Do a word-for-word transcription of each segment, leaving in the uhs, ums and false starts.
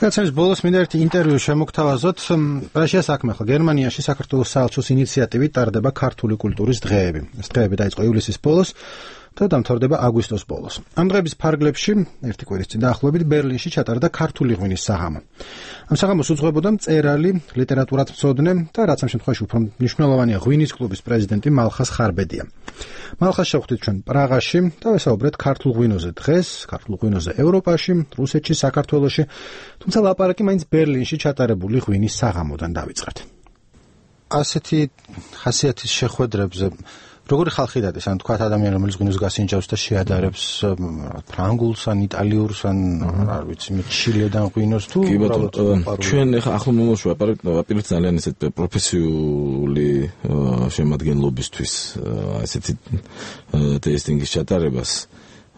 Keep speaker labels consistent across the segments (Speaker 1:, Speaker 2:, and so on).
Speaker 1: რაცაც ბოლოს მინდა ერთი ინტერვიუ შემოგთავაზოთ. რა საქმე ახლა გერმანიაში საქართველოს საელჩოს ინიციატივით ტარდება ქართული კულტურის დღეები. ეს დღეები დაიწყო ივლისის ბოლოს და დამთავრდება აგვისტოს ბოლოს. ამ დღეების ფარგლებში ერთი კვირის წინ დაახლოებით ბერლინში ჩატარდა ქართული ღვინის საღამო. ამ საღამოს უძღვებოდა მწერალი, ლიტერატურათმცოდნე და რაც ამ შემთხვევაში უფრო მნიშვნელოვანია ღვინის კლუბის პრეზიდენტი მალხას ხარბედია. მალხას შევხვდით ჩვენ პრაღაში და ვესაუბრეთ ქართულ ღვინოზე დღეს, ქართულ ღვინოზე ევროპაში, რუსეთში, საქართველოში, თუმცა ლაპარაკი მაინც ბერლინში ჩატარებული ღვინის საღამოდან დავიწყეთ. ასეთი ხასიათის შეხვედრებზე როგორი ხალხი დადეს, ან თქვა ადამიანი რომელიც ღვინოს გასინჯავს და შეადარებს ფრანგულს, ან იტალიურს, ან არ ვიცი, ჩილედან ღვინოს თუ
Speaker 2: უბრალოდ ჩვენ ახლა ახლა მომავალში ვაპირებთ ძალიან ესეთ პროფესიული შემადგენლობისთვის ესეთი ტესტინგის ჩატარებას,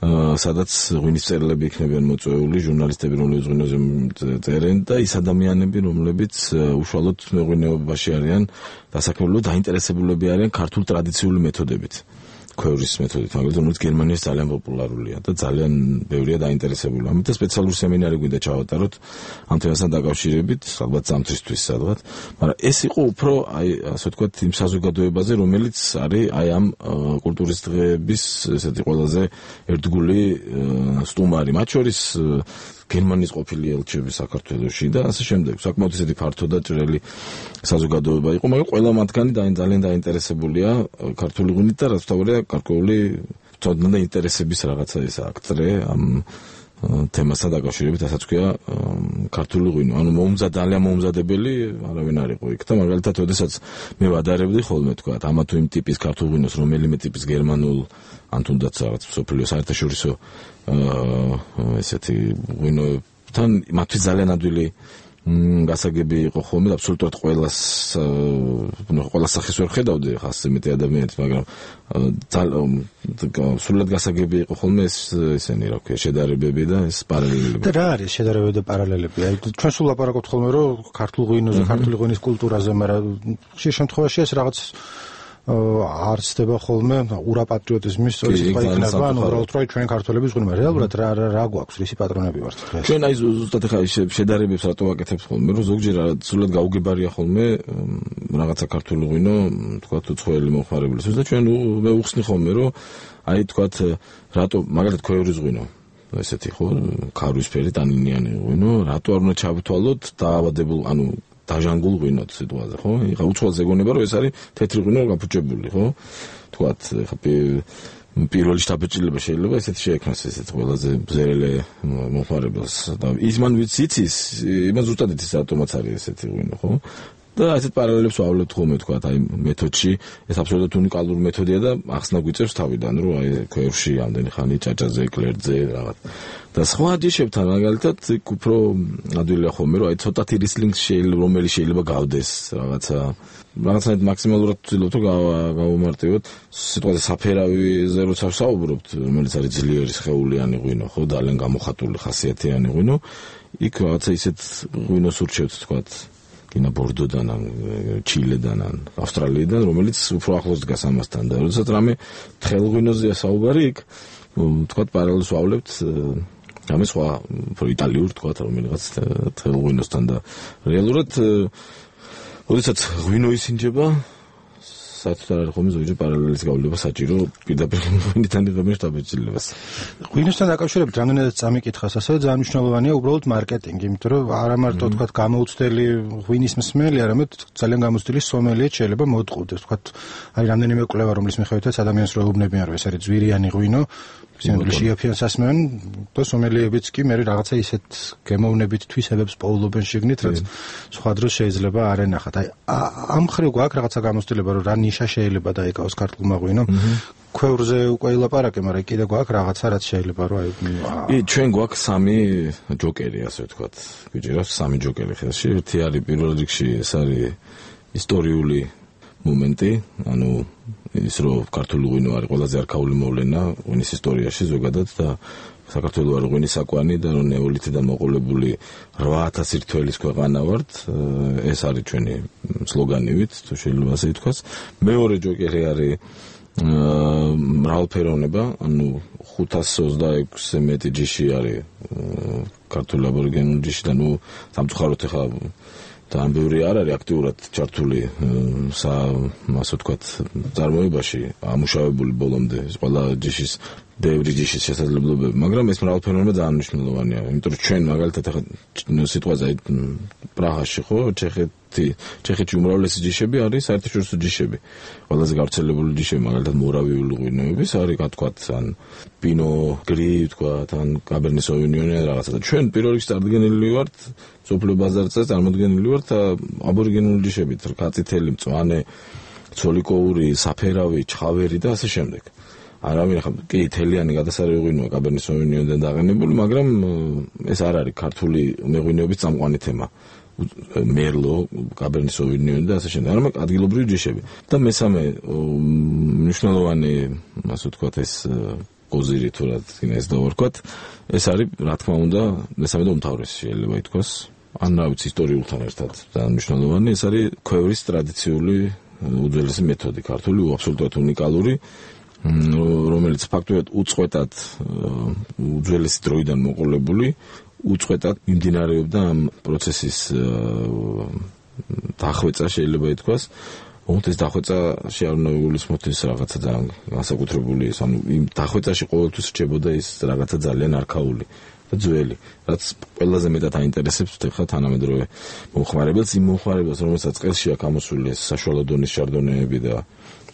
Speaker 2: სადაც ღვინის მწერლები იქნებიან მოწვეული, ჟურნალისტები, რომლებიც ღვინოზე წერენ და ის ადამიანები, რომლებიც უშუალოდ მეღვინეობაში არიან დასაქმებულნი, დაინტერესებულები არიან ქართულ ტრადიციული მეთოდებით. ქვევრის მეთოდით, მაგალითად, რომელიც გერმანიაში ძალიან პოპულარულია და ძალიან ბევრია დაინტერესებული. ამიტომ სპეციალური სემინარი გვინდა ჩავატაროთ ამ თემასთან დაკავშირებით, ალბათ ზამთრისთვის სადღაც, მაგრამ ეს იყო უფრო, აი, ასე ვთქვათ, იმ საზოგადოებაზე, რომელიც არის აი ამ კულტურის დღეების ესეთი ყველაზე ერთგული სტუმარი, მათ შორის გერმანიის ყოფილი ელჩები საქართველოში და ასე შემდეგ. საკმაოდ ისეთი ფართო და ჭრელი საზოგადოება იყო, მაგრამ ყველა მათგანი ძალიან დაინტერესებულია ქართული ღვინით და რაც თავია გარკვეული ცოდნა და ინტერესების რაღაცა ეს აქტრე ამ თემასთან დაკავშირებით, ასაც ქვია ქართული ღვინო. ანუ მომზად ძალიან მომზადებელი არავინ არ იყო იქ და მაგალითად, ოდესაც მე ვადარებდი ხოლმე თქვა, ამა თუ იმ ტიპის ქართულ ღვინოს, რომელიმე ტიპის გერმანულ ან თუნდაც რაღაც მსოფლიო საერთაშორისო ესეთი ღვინოებთან მათთვის ძალიან ადვილი გასაგები იყო ხოლმე და აბსოლუტურად ყველას ყველა სახის ვერ ხედავდი ხა ასე მეტი ადამიანით, მაგრამ სულად გასაგები იყო ხოლმე ეს ესენი რა ქვია შედარებები და ეს პარალელები.
Speaker 1: და რა არის შედარებები და პარალელები? აი ჩვენ სულ ლაპარაკობთ ხოლმე რომ ქართულ ღვინოზე, ქართული ღვინის კულტურაზე, მაგრამ ხშირ შემთხვევაში ეს რაღაც არც ხდება ხოლმე ურაპატრიოტიზმის სწორი სიტყვა იქნება, ანუ უბრალოდ რომ ჩვენ ქართველების ღვინო, რეალურად რა რა გვაქვს, რისი პატრონები ვართ დღეს?
Speaker 2: ჩვენ აი ზუსტად ხა შედარებებს რატო ვაკეთებთ ხოლმე, რომ ზოგჯერ სულად გაუგებარია ხოლმე რაღაცა ქართული ღვინო, თქვა თუ ცხოველი მომხმარებლისთვის და ჩვენ მე უხსნი ხოლმე, რომ აი თქვა რატო მაგალითად ქვევრის ღვინო ესეთი ხო, ქარვისფერი ტანინიანი ღვინო, რატო არ უნდა ჩავითვალოთ დაავადებულ, ანუ დაჟანგულ ღვინოთ სიტუაციაზე, ხო? ეხა უცხოელს ეგონება, რომ ეს არის თეთრი ღვინო გაფუჭებული, ხო? თქვათ, ეხა პირველი შთაბეჭდილება შეიძლება ესეთი შეექმნას ესეთ ყველაზე ბზერელე მომხმარებელს და ის მან ვიც იცის, იმას ზუსტად იცის რატომაც არის ესეთი ღვინო, ხო? და ასეთ პარალელებს ვავლებთ ხოლმე, თქვათ, აი მეთოდში, ეს აბსოლუტურად უნიკალური მეთოდია და ახსნა გვიწევს თავიდან, რომ აი ქვევში ამდენი ხანი ჭაჭაზე, კლერტზე რაღაც. და სხვა ჯიშებთან მაგალითად უფრო ადვილია ხოლმე, რომ აი ცოტათი რისლინგს შეიძლება რომელი შეიძლება გავდეს რაღაცა რაღაცნაირად მაქსიმალურად ვცდილობთ რომ გავუმარტივოთ სიტყვაზე საფერავიზე როცა ვსაუბრობთ, რომელიც არის ძლიერი სხეულიანი ღვინო, ხო, ძალიან გამოხატული ხასიათიანი ღვინო, იქ რაღაცა ისეთ ღვინოს ურჩევთ, თქვათ, კინა ბორდოდან, ჩილედან, ავსტრალიიდან, რომელიც უფრო ახლოს დგას ამასთან და როდესაც რამე თხელ ღვინოზეა საუბარი იქ, თქვათ, პარალელს ვავლებთ ამის სხვა უფრო იტალიურ, თქვათ, რომელიღაც თხელ ღვინოსთან და რეალურად როდესაც ღვინო ისინჯება, საერთოდ არ არის ხოლმე ზოგჯერ პარალელის გავლება საჭირო პირდაპირ ღვინიდან იღებენ შთაბეჭდილებას.
Speaker 1: ღვინოსთან დაკავშირებით რამდენადაც წამიკითხას, ასევე ძალიან მნიშვნელოვანია უბრალოდ მარკეტინგი, იმიტომ რომ არა მარტო თქვათ გამოუცდელი ღვინის მსმელი, არამედ ძალიან გამოუცდელი სომელიეც შეიძლება მოდყუდეს. თქვათ, არის რამდენიმე კვლევა, რომლის მიხედვითაც ადამიანს რო ეუბნებიან, რომ ეს არის ძვირიანი ღვინო, სინამდვილეში იაფიანს ასმევენ და სომელიებიც კი მე რაღაცა ისეთ გემოვნებით თვისებებს პოულობენ შიგნით, რაც სხვა დროს შეიძლება არ ენახათ. აი ამ ხრივ გვაქვს რაღაცა გამოცდილება, რომ რა ნიშა შეიძლება დაიკავოს ქართულმა ღვინომ. ქვევრზე უკვე ილაპარაკე, მაგრამ კიდე გვაქვს რაღაცა, რაც შეიძლება რომ აი
Speaker 2: ჩვენ გვაქვს სამი ჯოკერი, ასე ვთქვათ. გვიჭირავს სამი ჯოკერი ხელში. ერთი არის პირველ რიგში, ეს არის ისტორიული მომენტი, ანუ ის რომ ქართული ღვინო არის ყველაზე არქაული მოვლენა ღვინის ისტორიაში ზოგადად და საქართველო არის ღვინის საკვანი და რომ ნეოლითიდან მოყოლებული რვა ათასი რთველის ქვეყანა ვართ, ეს არის ჩვენი სლოგანივით, თუ შეიძლება ასე ითქვას. მეორე ჯოკერი არის მრავალფეროვნება, ანუ ხუთასი ოცდაექვსზე მეტი ჯიში არის ქართული აბორიგენული ჯიში და ნუ სამწუხაროდ ახლა ძალიან ბევრი არ არის აქტიურად ჩართული სა ასე ვთქვათ წარმოებაში ამუშავებული ბოლომდე ყველა ჯიშის ბევრი ჯიშის შესაძლებლობები, მაგრამ ეს მრავალფეროვნება ძალიან მნიშვნელოვანია, იმიტომ რომ ჩვენ მაგალითად ახლა სიტყვაზე პრაღაში ხო, ჩეხეთი, ჩეხეთში უმრავლესი ჯიშები არის საერთაშორისო ჯიშები. ყველაზე გავრცელებული ჯიშები მაგალითად მორავიული ღვინოების არის, რა თქვათ, ან პინო გრი, თქვათ, ან კაბერნე სოვინიონი ან რაღაცა. და ჩვენ პირველ რიგში წარდგენილი ვართ სოფლიო ბაზარზე, წარმოდგენილი ვართ აბორიგენული ჯიშებით, კაწითელი, მწვანე, ცოლიკოური, საფერავი, ჩხავერი და ასე შემდეგ. არავინ ახლა კი თელიანი გადასარევი ღვინოა კაბერნე სოვინიონიდან დაყენებული, მაგრამ ეს არ არის ქართული მეღვინეობის წამყვანი თემა. მერლო, კაბერნე სოვინიონი და ასე შემდეგ, არამედ ადგილობრივი ჯიშები. და მესამე მნიშვნელოვანი, ასე ვთქვათ, ეს კოზირი თუ რა თქმა ეს დავარქვათ, ეს არის რა თქმა უნდა, მესამე და უმთავრესი შეიძლება ითქვას, ან რა ვიცი ისტორიულთან ერთად ძალიან მნიშვნელოვანი, ეს არის ქვევრის ტრადიციული უძველესი მეთოდი, ქართული, აბსოლუტურად უნიკალური, რომელიც ფაქტობრივად უწყვეტად უძველესი დროიდან მოყოლებული, უწყვეტად მიმდინარეობდა ამ პროცესის დახვეწა შეიძლება ითქვას. ოღონდ ეს დახვეწა შეარნოვებულის მოთის რაღაცა ძალიან განსაკუთრებული, ანუ იმ დახვეწაში ყოველთვის რჩებოდა ის რაღაცა ძალიან არქაული და ძველი, რაც ყველაზე მეტად აინტერესებს ხა თანამედროვე მომხმარებელს, იმ მომხმარებელს, რომელსაც წელში აქვს ამოსული ეს საშუალო დონის შარდონეები და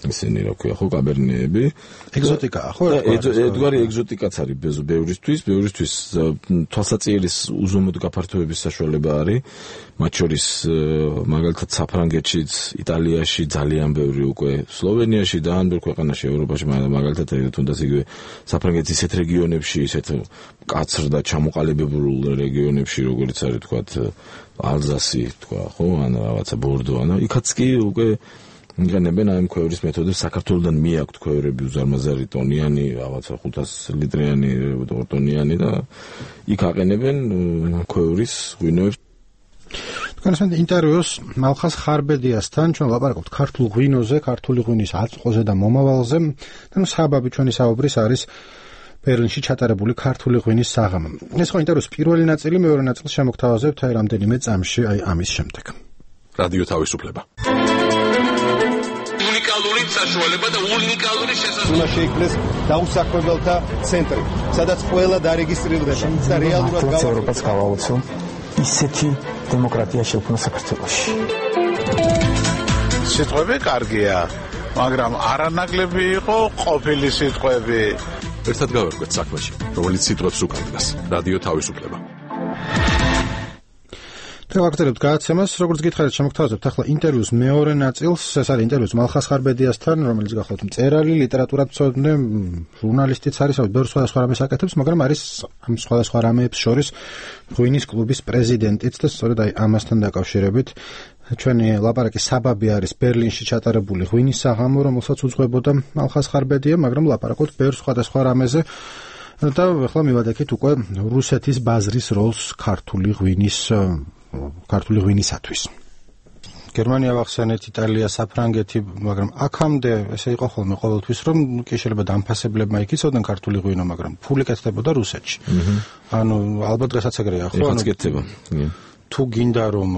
Speaker 2: ისინი რა ქვია ხო კაბერნეები
Speaker 1: ეგზოტიკაა ხო
Speaker 2: ერთგვარი ეგზოტიკაც არის ბევრისთვის ბევრისთვის თვალსაწიერის უზომოდ გაფართოების საშუალება არის მათ შორის მაგალითად საფრანგეთშიც იტალიაში ძალიან ბევრი უკვე სლოვენიაში და ან ბევრ ქვეყანაში ევროპაში მაგალითად თუნდაც იგივე საფრანგეთის ისეთ რეგიონებში ისეთ კაცრ და ჩამოყალიბებულ რეგიონებში როგორც არის თქვა ალზასი თქვა ხო ან რაღაცა ბორდო ან იქაც კი უკვე იყენებენ ამ ქვევრის მეთოდებს საქართველოსთან მიაქვთ ქვევრები უზარმაზარი ტონიანი რაღაცა ხუთას ლიტრიანი ტონიანი და იქ აყენებენ ქვევრის ღვინოებს.
Speaker 1: თქვენ ინტერვიუს მალხაზ ხარბედიასთან ჩვენ ლაპარაკობთ ქართულ ღვინოზე, ქართული ღვინის აწმყოზე და მომავალზე და ნუ საბაბი ჩვენი საუბრის არის ბერლინში ჩატარებული ქართული ღვინის საღამო. ეს ხო ინტერვიუს პირველი ნაწილი, მეორე ნაწილს შემოგთავაზებთ აი რამდენიმე წამში აი ამის შემდეგ.
Speaker 3: რადიო თავისუფლება. უნიკალური საშუალება და უნიკალური შესაძლებლობა
Speaker 4: შეიქმნეს დაუსაქმებელთა ცენტრი, სადაც ყველა დარეგისტრირდება და რეალურად
Speaker 5: გავრცელებას გავაოცო ისეთი დემოკრატია შექმნა საქართველოში.
Speaker 6: სიტყვები კარგია, მაგრამ არანაკლები იყო ყოფილი სიტყვები.
Speaker 3: ერთად გავერკვეთ საქმეში, რომელიც სიტყვებს უკარგავს. რადიო თავისუფლება.
Speaker 1: დავაგრძელებთ გადაცემას, როგორც გითხარით, შემოგთავაზებთ ახლა ინტერვიუს მეორე ნაწილს. ეს არის ინტერვიუს მალხაზ ხარბედიასთან, რომელიც გახლავთ მწერალი, ლიტერატურათმცოდნე, ჟურნალისტიც არის, ბევრ სხვადასხვა რამეს აკეთებს, მაგრამ არის ამ სხვადასხვა რამეებს შორის ღვინის კლუბის პრეზიდენტიც და სწორედ აი ამასთან დაკავშირებით ჩვენი ლაპარაკი საბაბი არის ბერლინში ჩატარებული ღვინის საღამო, რომელსაც უძღვებოდა მალხაზ ხარბედია, მაგრამ ლაპარაკობთ ბევრ სხვადასხვა რამეზე. და ახლა მივადექით უკვე რუსეთის ბაზრის როლს ქართული ღვინის ქართული ღვინისათვის. გერმანია ვახსენეთ, იტალია, საფრანგეთი, მაგრამ აქამდე ესე იყო ხოლმე ყოველთვის, რომ კი შეიძლება დამფასებლებმა იქიცოდნენ ქართული ღვინო, მაგრამ ფული კეთდებოდა რუსეთში. ანუ ალბათ დღესაც ეგრეა, ხო?
Speaker 2: ანუ კეთდება.
Speaker 1: თუ გინდა რომ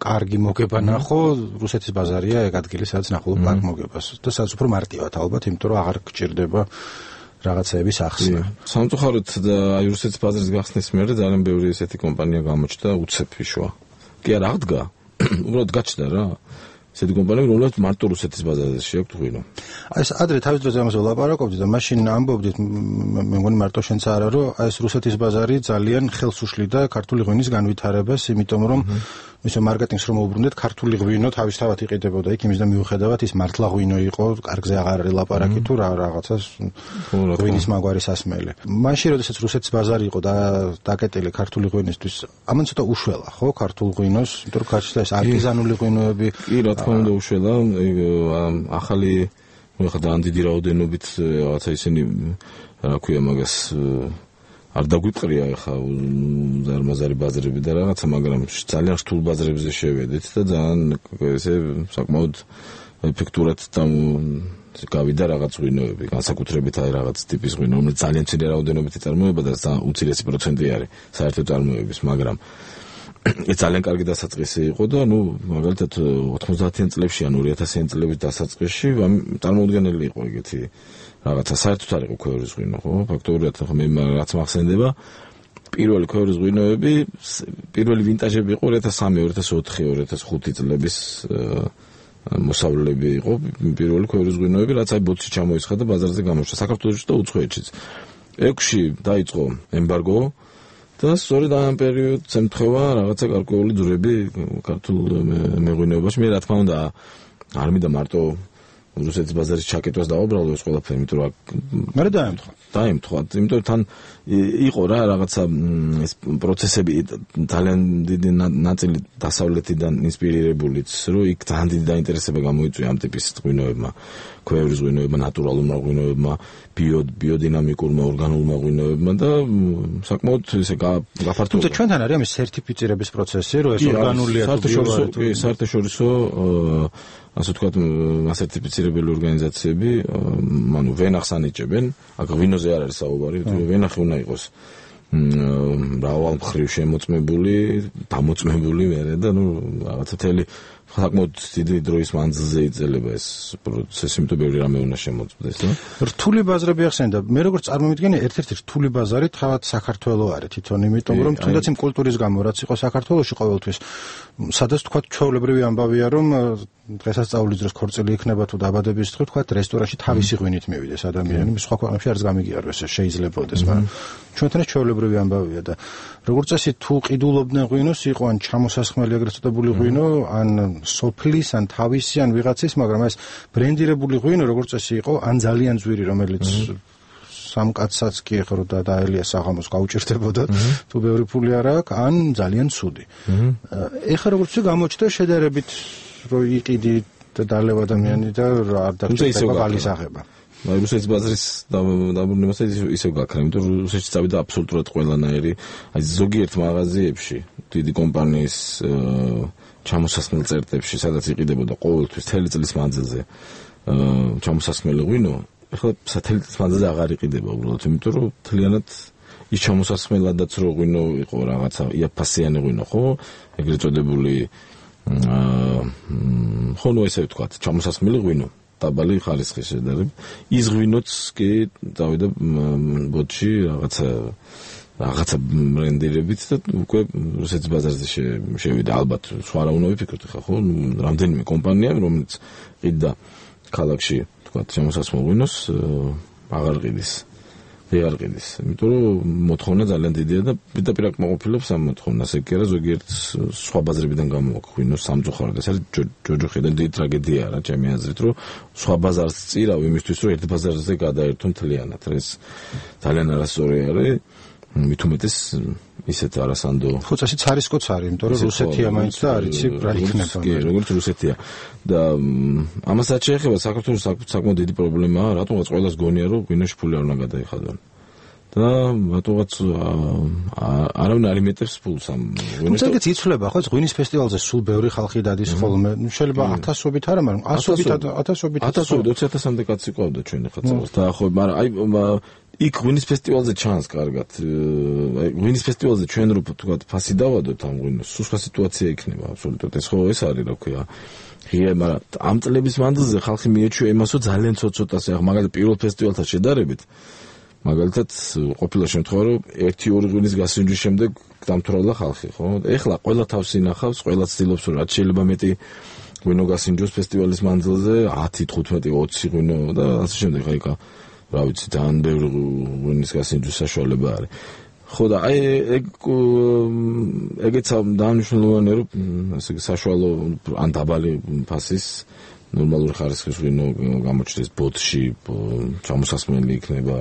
Speaker 1: კარგი მოგება ნახო, რუსეთის ბაზარია ეგ ადგილი, სადაც ნახულობ კარგ მოგებას. და სადაც უფრო მარტივად ალბათ, იმიტომ რომ აღარ გჭირდება რაღაცეების ახსნა.
Speaker 2: სამწუხაროდ და აი რუსეთის ბაზრის გახსნის მერე ძალიან ბევრი ესეთი კომპანია გამოჩნდა უცეფიშვა. კი არა აღდგა, უბრალოდ გაჩნდა რა. ესეთი კომპანიები, რომლებიც მარტო რუსეთის ბაზარზე შეაქვთ ღვინო.
Speaker 1: აი ეს ადრე თავის დროზე ამაზე ვლაპარაკობდით და მაშინ ამბობდით, მე მგონი მარტო შენც არა, რომ აი ეს რუსეთის ბაზარი ძალიან ხელს უშლიდა ქართული ღვინის განვითარებას, იმიტომ რომ ისე მარკეტინგს რომ უბრუნდეთ, ქართული ღვინო თავისთავად იყიდებოდა იქ, იმის და მიუხედავად ის მართლა ღვინო იყო, კარგზე აღარ არის ლაპარაკი თუ რა რაღაცას ღვინის მაგვარი სასმელი. მაშინ როდესაც რუსეთის ბაზარი იყო და დაკეტილი ქართული ღვინისთვის, ამან ცოტა უშველა, ხო, ქართულ ღვინოს, იმიტომ რომ გაჩნდა ეს არტიზანული ღვინოები.
Speaker 2: კი, რა თქმა უნდა უშველა, ახალი ხა და დიდი რაოდენობით რაღაცა ისინი რა ქვია მაგას არ დაგვიყრია ხა ზარმაზარი ბაზრები და რაღაცა, მაგრამ ძალიან რთულ ბაზრებზე შევედით და ძალიან ესე საკმაოდ ეფექტურად გავიდა რაღაც ღვინოები, განსაკუთრებით აი რაღაც ტიპის ღვინო, რომელიც ძალიან მცირე რაოდენობით იწარმოება და უცირესი პროცენტი არის საერთო წარმოების, მაგრამ ეს ძალიან კარგი დასაწყისი იყო და ნუ მაგალითად ოთხმოცდაათიან წლებში ან ორი ათასიან წლების დასაწყისში წარმოუდგენელი იყო ეგეთი რაღაცა საერთოდ არ იყო ქვევრის ღვინო, ხო? ფაქტობრივად ხო მე რაც მახსენდება პირველი ქვევრის ღვინოები, პირველი ვინტაჟები იყო ორი ათას სამი, ორი ათას ოთხი, ორი ათას ხუთი წლების მოსავლები იყო პირველი ქვევრის ღვინოები, რაც აი ბოთში ჩამოისხა და ბაზარზე გამოშვა საქართველოში და უცხოეთშიც. ექვსში დაიწყო ემბარგო და სწორედ ამ პერიოდს ემთხვევა რაღაცა გარკვეული ძვრები ქართულ მეღვინეობაში. მე რა თქმა უნდა არ მინდა მარტო რუსეთის ბაზარის ჩაკეტვას დავაბრალო ეს ყველაფერი, იმიტომ რომ
Speaker 1: მე დაემთხვა.
Speaker 2: დაემთხვა, იმიტომ რომ თან იყო რა რაღაცა ეს პროცესები ძალიან დიდი ნაწილი დასავლეთიდან ინსპირირებულიც, რომ იქ ძალიან დიდი დაინტერესება გამოიწვია ამ ტიპის ღვინოებმა, ქვევრის ღვინოებმა, ნატურალურმა ღვინოებმა, ბიო ბიოდინამიკურმა ორგანულმა ღვინოებმა და საკმაოდ ესე გაფართოვდა.
Speaker 1: თუმცა ჩვენთან არის ამის სერტიფიცირების პროცესი, რომ ეს ორგანულია თუ
Speaker 2: ბიო საერთაშორისო ასე ვთქვათ, ასერტიფიცირებელი ორგანიზაციები, ანუ ვენახს ანიჭებენ, აქ ღვინოზე არ არის საუბარი, ვენახი უნდა იყოს მრავალ მხრივ შემოწმებული, დამოწმებული მერე და ნუ რაღაცა თელი საკმაოდ დიდი დროის მანძილზე იძლება ეს პროცესი, იმიტომ ბევრი რამე უნდა შემოწმდეს და
Speaker 1: რთული ბაზრები ახსენდა. მე როგორც წარმოვიდგენია, ერთ-ერთი რთული ბაზარი თავად საქართველოს არის თვითონ, იმიტომ რომ თუნდაც იმ კულტურის გამო, რაც იყო საქართველოში ყოველთვის, სადაც თქვა ჩვეულებრივი ამბავია, რომ დღესასწაულის დროს ქორწილი იქნება თუ დაბადების დღე, თქვა რესტორანში თავისი ღვინით მივიდეს ადამიანი, სხვა ქვეყნებში არც გამიგიაროს ეს შეიძლებაოდეს, მაგრამ ჩვენთან ეს ჩვეულებრივი ამბავია და როგორც წესი თუ ყიდულობდნენ ღვინოს, იყო ან ჩამოსასხმელი ეგრეთ წოდებული ღვინო, ან სოფლის, ან თავისი, ან ვიღაცის, მაგრამ ეს ბრენდირებული ღვინო როგორც წესი იყო, ან ძალიან ძვირი, რომელიც სამ კაცსაც კი ეხრო და დაელიას საღამოს გაუჭირდებოდა, თუ ბევრი ფული არ აქვს, ან ძალიან ცუდი. ეხლა როგორც გამოჩნდა შედარებით რო იყიდი და დალევა ადამიანი და არ დაგჭირდება ბალის აღება.
Speaker 2: აი რუსეთის ბაზრის დაბრუნებას ისევ გაქრა, იმიტომ რომ რუსეთში წავიდა აბსოლუტურად ყველანაირი, აი ზოგიერთ მაღაზიებში, დიდი კომპანიის ჩამოსასხმელ წერტებში, სადაც იყიდებოდა ყოველთვის თელი წლის მანძილზე ჩამოსასხმელი ღვინო, ეხლა თელი წლის მანძილზე აღარ იყიდება უბრალოდ, იმიტომ რომ მთლიანად ის ჩამოსასხმელადაც რო ღვინო იყო რაღაცა იაფასიანი ღვინო, ხო? ეგრეთ წოდებული ხო ნუ ესე ვთქვათ, ჩამოსასხმელი ღვინო. დაბალი ხარისხის შედარებით. ის ღვინოც კი დავიდა ბოთში რაღაცა რაღაცა ბრენდირებით და უკვე რუსეთის ბაზარზე შევიდა. ალბათ სხვა რა უნდა ვიფიქროთ ხა ხო? რამდენიმე კომპანია, რომელიც ყიდდა ქალაქში, თქვათ, ჩამოსასხმელ ღვინოს აღარ ყიდის. ვეღარ ყიდის. იმიტომ რომ მოთხოვნა ძალიან დიდია და პირდაპირ აკმაყოფილებს ამ მოთხოვნას. ეგ კი არა, ზოგიერთ სხვა ბაზრებიდან გამოვაქვს ღვინოს სამწუხაროდ. ეს არის ჯოჯოხიდან დიდი ტრაგედია რა, ჩემი აზრით, რომ სხვა ბაზარს წირავ იმისთვის, რომ ერთ ბაზარზე გადაერთო მთლიანად. ეს ძალიან არასწორი არის. მით უმეტეს ისეთ არასანდო
Speaker 1: ხუცაშიც არისკოც არის, იმიტომ რომ რუსეთია მაინც და არ იცი რა იქნება.
Speaker 2: კი, როგორც რუსეთია. და ამასაც შეეხება საქართველოს საკმაოდ დიდი პრობლემაა, რატომღაც ყველას გონია, რომ ღვინოში ფული არ უნდა გადაიხადონ. და რატომღაც არავინ არ იმეტებს ფულს ამ
Speaker 1: ღვინოს. თუმცა ეგეც იცვლება, ხო, ღვინის ფესტივალზე სულ ბევრი ხალხი დადის ხოლმე. შეიძლება ათასობით არა, მაგრამ ასობით ათასობით
Speaker 2: ათასობით ოცი ათასამდე კაცი ყავდა ჩვენი ხაცავს. და ხო, მაგრამ აი იქ ღვინის ფესტივალზე ჩანს კარგად. აი ღვინის ფესტივალზე ჩვენ რო თქვა ფასი დავადოთ ამ ღვინოს, სულ სხვა სიტუაცია იქნება აბსოლუტურად. ეს ხო ეს არის რა ქვია. ღია, მაგრამ ამ წლების მანძილზე ხალხი მიეჩვია იმასო ძალიან ცოტ-ცოტას, ახლა მაგალითად პირველ ფესტივალთან შედარებით. მაგალითად ყოფილა შემთხვევა, რომ ერთი ორი ღვინის გასინჯვის შემდეგ დამთვრალა ხალხი, ხო? ეხლა ყველა თავს ინახავს, ყველა ცდილობს, რომ რაც შეიძლება მეტი ღვინო გასინჯოს ფესტივალის მანძილზე, ათი, თხუთმეტი, ოცი ღვინო და ასე შემდეგ. აი კა რა ვიცი, ძალიან ბევრი ღვინის გასინჯვის საშუალება არის. ხო და აი ეგ ეგეც დანიშნულოვანია, რომ ასე საშუალო ან დაბალი ფასის ნორმალური ხარისხის ღვინო გამოჩნდეს ბოთში, ჩამოსასმელი იქნება.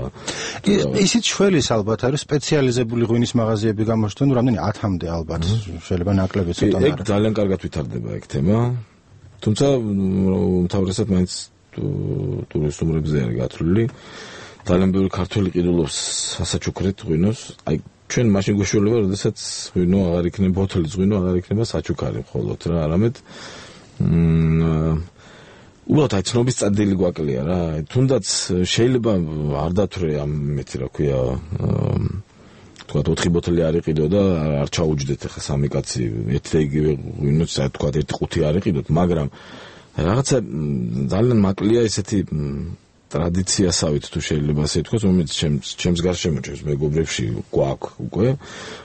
Speaker 1: ისიც შველის ალბათ არის სპეციალიზებული ღვინის მაღაზიები გამოჩნდნენ, რამდენი ათამდე ალბათ, შეიძლება ნაკლები ცოტა
Speaker 2: არის. ეგ ძალიან კარგად ვითარდება ეგ თემა. თუმცა უმთავრესად მაინც ტურისტუმრებზე არის გათვლილი. ძალიან ბევრი ქართველი ყიდულობს სასაჩუქრეთ ღვინოს. აი ჩვენ მაშინ გვეშველება, როდესაც ღვინო აღარ იქნება, ბოთლის ღვინო აღარ იქნება საჩუქარი მხოლოდ რა, არამედ უბრალოდ აი ცნობის წადილი გვაკლია რა. თუნდაც შეიძლება არ დათვრე ამ მეტი რა ქვია თქვათ ოთხი ბოთლი არ იყიდო და არ ჩაუჯდეთ ახლა სამი კაცი ერთ და იგივე ღვინოს თქვათ ერთი ყუთი არ იყიდოთ, მაგრამ რაღაცა ძალიან მაკლია ესეთი ტრადიციასავით თუ შეიძლება ასე ვთქვათ, რომელიც ჩემს ჩემს გარშემო ჩემს მეგობრებში გვაქვს უკვე.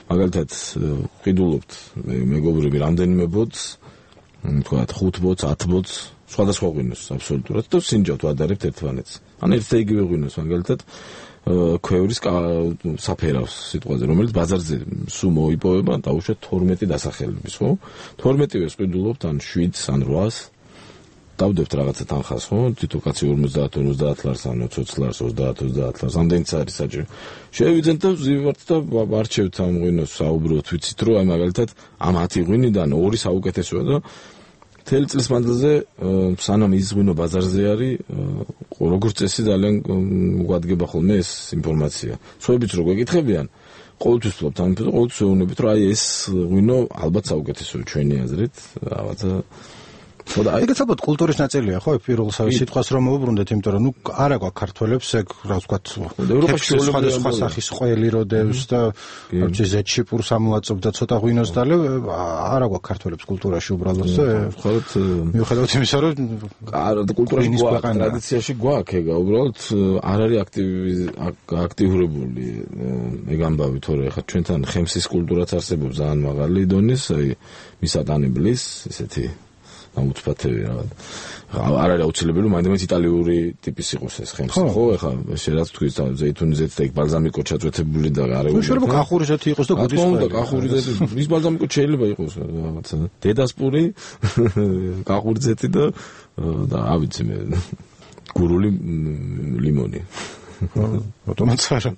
Speaker 2: მაგალითად ყიდულობთ მეგობრები რამდენიმე ბოთს, თქვათ ხუთ ბოთს, ათ ბოთს, სხვადასხვა ღვინოს აბსოლუტურად და სინჯავთ ვადარებთ ერთმანეთს. ან ერთ და იგივე ღვინოს მაგალითად ქვევრის საფერავს სიტყვაზე, რომელიც ბაზარზე სულ მოიპოვება, დაუშვათ თორმეტი დასახელების, ხო? თორმეტივეს ყიდულობთ ან შვიდს ან რვას. დავდებთ რაღაცა თანხას, ხო? თითო კაცი ორმოცდაათ ორმოცდაათ ლარს ან ოცდაათ ლარს, ოცდაათ ოცდაათ ლარს, ამდენიც არის საჭირო. შევიძენთ და ვზივართ და ვარჩევთ ამ ღვინოს, საუბრობთ, ვიცით რომ აი მაგალითად ამ ათი ღვინიდან ორი საუკეთესოა და მთელი წლის მანძილზე სანამ ის ღვინო ბაზარზე არის, როგორც წესი ძალიან გვადგება ხოლმე ეს ინფორმაცია. სხვაებიც რო გვეკითხებიან, ყოველთვის ვფლობთ ამ ფერზე, ყოველთვის ვეუბნებით, რომ აი ეს ღვინო ალბათ საუკეთესოა ჩვენი აზრით, რაღაცა ხოდა
Speaker 1: ეგეც ალბათ კულტურის ნაწილია, ხო, პირველსავე სიტყვას რომ მოუბრუნდეთ, იმიტომ რომ ნუ არა გვაქვს ქართველებს ეგ რა ვთქვათ, ევროპაში სხვადასხვა სახის ყველი როდევს და არც ზეთშიპურს ამოაწობდა ცოტა ღვინოს და არა გვაქვს ქართველებს კულტურაში უბრალოდ და
Speaker 2: ხართ
Speaker 1: მიუხედავად იმისა რომ
Speaker 2: არა კულტურაში გვაქვს, ტრადიციაში გვაქვს ეგა, უბრალოდ არ არის აქტივი აქტიურებული ეგ ამბავი, თორე ხა ჩვენთან ხემსის კულტურაც არსებობს ძალიან მაღალი დონის, აი მისატანებლის ესეთი აუცბათები რა. არ არის აუცილებელი რომ მაინც იტალიური ტიპის იყოს ეს ხემსი, ხო? ეხლა შეიძლება თქვის ზეითუნიზეც და ბალზამიკო ჩაწვეთებული და არეული.
Speaker 1: შეიძლება კახური ზეთი იყოს და გუდის
Speaker 2: ყველა. კახური ზეთი, ის ბალზამიკო შეიძლება იყოს რაღაცა. დედასპური, კახური ზეთი და და ავიცი მე გურული ლიმონი.
Speaker 1: ავტომატს არა.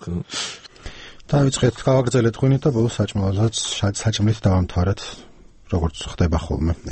Speaker 1: დავიწყეთ გავაგრძელეთ ღვინით და ბოლოს საჭმელსაც საჭმლით დავამთავრეთ, როგორც ხდება ხოლმე.